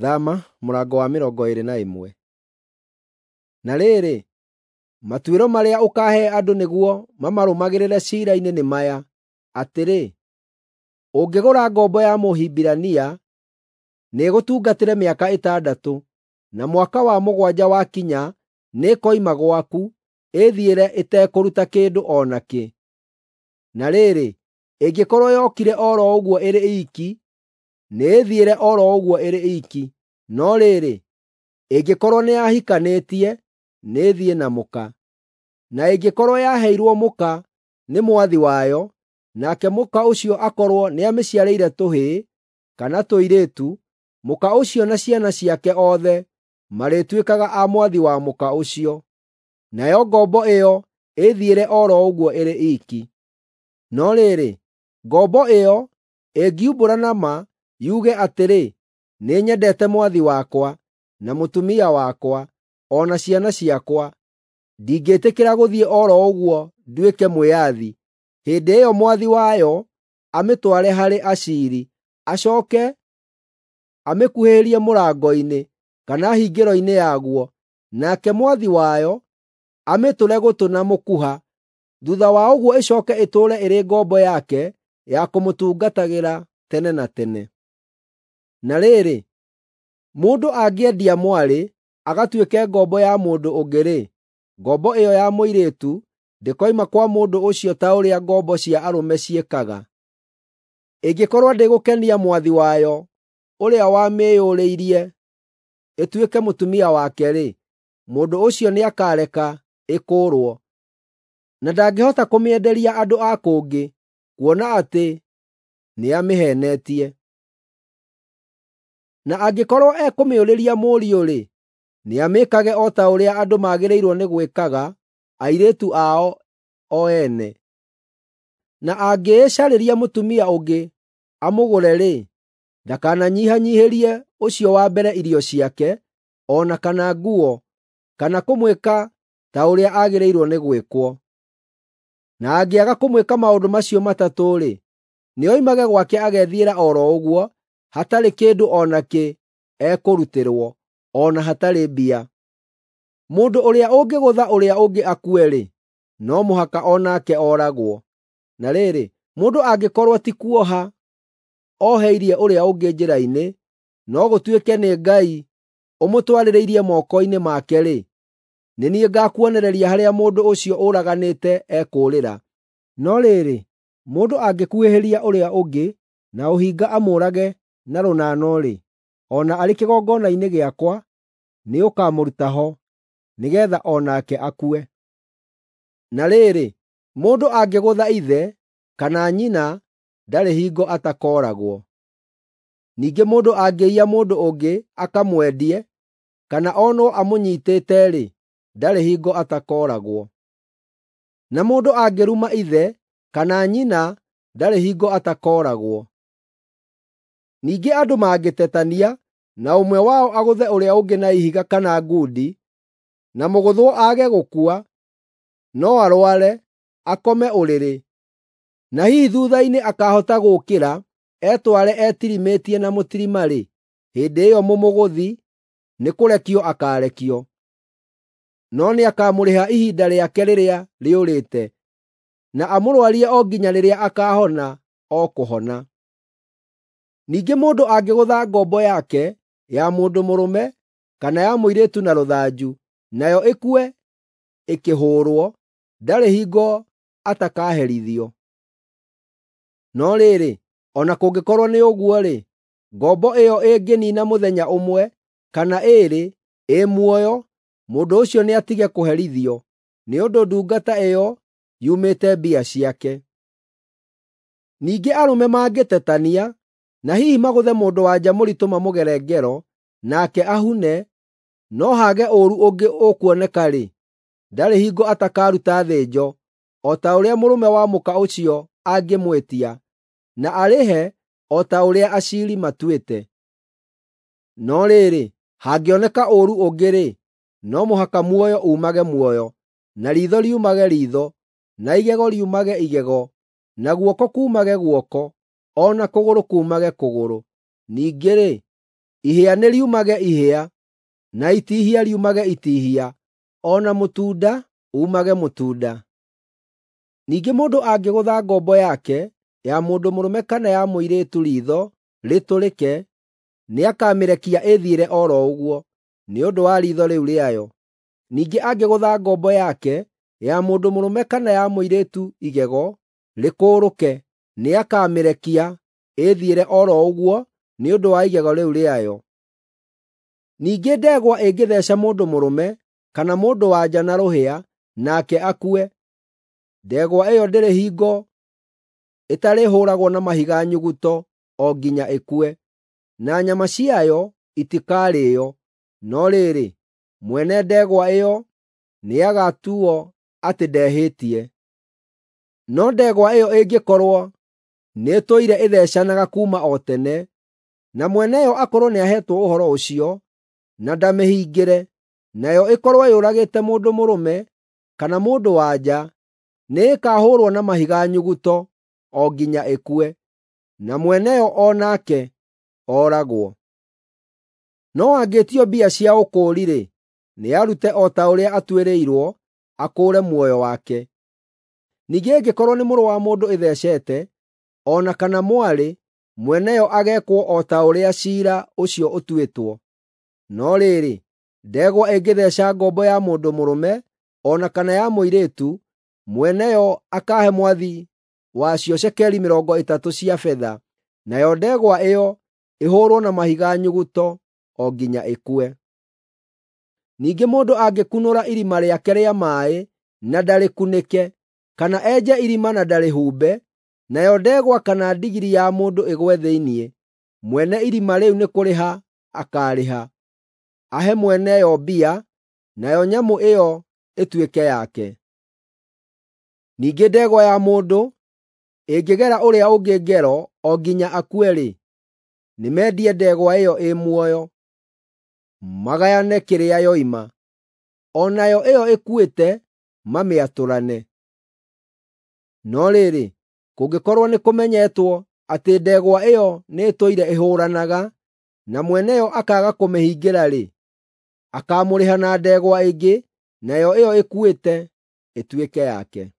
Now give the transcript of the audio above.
Thama mũrango wa 21. Na rĩrĩ, matuĩro marĩa ũkaahe andũ nĩguo mamarũmagĩrĩre ciira-inĩ nĩ maya, atĩrĩ, ũngĩgũra ngombo ya Mũhibirania, nĩĩgũtungatĩre mĩaka ĩtandatũ, na mwaka wa mũgwanja wakinya nĩĩkoima gwaku, ĩĩthiĩre ĩtekũruta kĩndũ o nakĩ. Na rĩrĩ, ĩngĩkorwo yokire o ro ũguo ĩrĩ iiki, nĩĩthiĩre o ro ũguo ĩrĩ iiki, no rĩrĩ, ĩngĩkorwo nĩyahikanĩtie, nĩĩthiĩ na mũka. Na ĩngĩkorwo yaheirwo mũka nĩ mwathi wayo, nake mũka ũcio akorwo nĩamĩciarĩire tũhĩĩ kana tũirĩtu, mũka ũcio na ciana ciake othe marĩtuĩkaga a mwathi wa mũka ũcio. Nayo ngombo ĩyo ĩĩthiĩre o ro ũguo ĩrĩ iiki. No rĩrĩ, ngombo ĩyo ĩngiumbũra na ma, yuge atĩrĩ, “Nĩnyendete mwathi wakwa, na mũtumia wakwa, o na ciana ciakwa, ndingĩĩtĩkĩra gũthiĩ o ro ũguo nduĩke mwĩathi,” hĩndĩ ĩyo mwathi wayo amĩtware harĩ aciiri, acooke amĩkuhĩhĩrie mũrango-inĩ kana hingĩro-inĩ yaguo, nake mwathi wayo amĩtũre gũtũ na mũkuha. Thuutha wa ũguo ĩcooke ĩtũũre ĩrĩ ngombo yake ya kũmũtungatagĩra tene na tene. Na rĩrĩ, mũndũ angĩendia mwarĩ agatuĩke ngombo ya mũndũ ũngĩ-rĩ, ngombo ĩyo ya mũirĩtu ndĩkoima kwa mũndũ ũcio ta ũrĩa ngombo cia arũme ciĩkaga. Ĩngĩkorwo ndĩgũkenia mwathi wayo ũrĩa wamĩĩyũrĩirie ĩtuĩke mũtumia wake-rĩ, mũndũ ũcio nĩakareka ĩkũũrwo. Na ndangĩhota kũmĩenderia andũ a kũngĩ, kuona atĩ nĩamĩheenetie. Na angĩkorwo ekũmĩũrĩria mũriũ-rĩ, nĩamĩĩkage o ta ũrĩa andũ magĩrĩirwo nĩ gwĩkaga airĩtu ao o ene. Na angĩĩcarĩria mũtumia ũngĩ amũgũre-rĩ, ndakananyihanyiihĩrie ũcio wa mbere irio ciake, o na kana nguo, kana kũmwĩka ta ũrĩa agĩrĩirwo nĩ gwĩkwo. Na angĩaga kũmwĩka maũndũ macio matatũ-rĩ, nĩoimage gwake agethiĩra o ro ũguo, hatarĩ kĩndũ o nakĩ ekũrutĩrwo, o na hatarĩ mbia. Mũndũ ũrĩa ũngĩgũtha ũrĩa ũngĩ akue-rĩ, no mũhaka o nake ooragwo. Na rĩrĩ, mũndũ angĩkorwo ti kuoha oheirie ũrĩa ũngĩ njĩra-inĩ, no gũtuĩke nĩ Ngai ũmũtwarĩrĩirie moko-inĩ make-rĩ, nĩ niĩ ngaakuonereria harĩa mũndũ ũcio ũraganĩte ekũũrĩra. No rĩrĩ, mũndũ angĩkuhĩhĩria ũrĩa ũngĩ na ũhinga amũũrage na rũnano-rĩ, o na arĩ kĩgongona-inĩ gĩakwa, nĩũkamũruta ho, nĩgeetha o nake akue. Na rĩrĩ, mũndũ angĩgũtha ithe kana nyina, ndarĩ hingo atakooragwo. Ningĩ mũndũ angĩiya mũndũ ũngĩ akamwendie, kana onwo amũnyiitĩte-rĩ, ndarĩ hingo atakooragwo. Na mũndũ angĩruma ithe kana nyina, ndarĩ hingo atakooragwo. Ningĩ andũ mangĩtetania, na ũmwe wao agũthe ũrĩa ũngĩ na ihiga kana ngundi, na mũgũthwo aage gũkua, no arware, akome ũrĩrĩ, na hihi thuutha-inĩ akaahota gũũkĩra etware etirimĩtie na mũtirima-rĩ, hĩndĩ ĩyo mũmũgũthi nĩkũrekio akaarekio. No nĩakamũrĩha ihinda rĩake rĩrĩa rĩũrĩte, na amũrwarie o nginya rĩrĩa akaahona o kũhona. Ningĩ mũndũ angĩgũtha ngombo yake ya mũndũ mũrũme kana ya mũirĩtu na rũthanju, nayo ĩkue ĩkĩhũũrwo, ndarĩ hingo atakaherithio. No rĩrĩ, o na kũngĩkorwo nĩ ũguo-rĩ, ngombo ĩyo ĩngĩniina mũthenya ũmwe kana ĩĩrĩ ĩ muoyo, mũndũ ũcio nĩatige kũherithio, nĩ ũndũ ndungata ĩyo yumĩte mbia ciake. Ningĩ arũme mangĩtetania, na hihi magũthe mũndũ-wa-nja mũritũ mamũgere ngero, nake ahune, no haage ũũru ũngĩ ũkuoneka-rĩ, ndarĩ hingo atakaruta thĩnjo, o ta ũrĩa mũrũme wa mũka ũcio angĩmwĩtia, na arĩhe o ta ũrĩa aciiri matuĩte. No rĩrĩ, hangĩoneka ũũru ũngĩ-rĩ, no mũhaka muoyo uumage muoyo, na riitho riumage riitho, na igego riumage igego, na guoko kuumage guoko, o na kũgũrũ kuumage kũgũrũ. Ningĩ-rĩ, Ihĩa nĩ riumage ihĩa, na itihia riumage itihia, o na mũtunda uumage mũtunda. Ningĩ mũndũ angĩgũtha ngombo yake ya mũndũ mũrũme kana ya mũirĩtu riitho rĩtũrĩke, nĩakamĩrekia ĩthiĩre o ro ũguo, nĩ ũndũ wa riitho rĩu rĩayo. Ningĩ angĩgũtha ngombo yake ya mũndũ mũrũme kana ya mũirĩtu igego rĩkũũrũke, nĩakamĩrekia ĩthiĩre o ro ũguo nĩ ũndũ wa igego rĩu rĩayo. Ningĩ ndegwa ĩngĩtheeca mũndũ mũrũme kana mũndũ-wa-nja na rũhĩa, nake akue, ndegwa ĩyo ndĩrĩ hingo ĩtarĩhũũragwo na mahiga nyuguto o nginya ĩkue, na nyama ciayo itikarĩĩo. No rĩrĩ, mwene ndegwa ĩyo nĩagatuuo atĩ ndehĩtie. No ndegwa ĩyo ĩngĩkorwo nĩĩtũire ĩtheecanaga kuuma o tene, na mwene yo akorwo nĩaheetwo ũhoro ũcio, na ndamĩhingĩre, nayo ĩkorwo yũragĩte mũndũ mũrũme kana mũndũ-wa-nja, nĩĩkahũũrwo na mahiga nyuguto o nginya ĩkue, na mwene yo o nake ooragwo. No angĩĩtio mbia cia ũkũũri-rĩ, nĩarute o ta ũrĩa atuĩrĩirwo, akũũre muoyo wake. Ningĩ ĩngĩkorwo nĩ mũrũ wa mũndũ ĩtheecete, o na kana mwarĩ, mwene yo ageekwo o ta ũrĩa ciira ũcio ũtuĩtwo. No rĩrĩ, ndegwa ĩngĩtheeca ngombo ya mũndũ mũrũme o na kana ya mũirĩtu, mwene yo akaahe mwathi wacio cekeri 30 cia betha, nayo ndegwa ĩyo ĩhũũrwo na mahiga nyuguto o nginya ĩkue. Ningĩ mũndũ angĩkunũra irima rĩake rĩa maaĩ na ndarĩkunĩke, kana enje irima na ndarĩhumbe, nayo ndegwa kana ndigiri ya mũndũ ĩgwe thĩinĩ, mwene irima rĩu nĩ kũrĩha akaarĩha, ahe mwene yo mbia, nayo nyamũ ĩyo ĩtuĩke yake. Ningĩ ndegwa ya mũndũ ĩngĩgera ũrĩa ũngĩ ngero o nginya akue-rĩ, nĩmendie ndegwa ĩyo ĩ muoyo, magayane kĩrĩa yoima. O nayo ĩyo ĩkuĩte mamĩatũrane. No rĩrĩ, kũngĩkorwo nĩkũmenyetwo atĩ ndegwa ĩyo nĩĩtũire ĩhũũranaga, na mwene yo akaaga kũmĩhingĩra-rĩ, akaamũrĩha na ndegwa ĩngĩ, nayo ĩyo ĩkuĩte ĩtuĩke yake.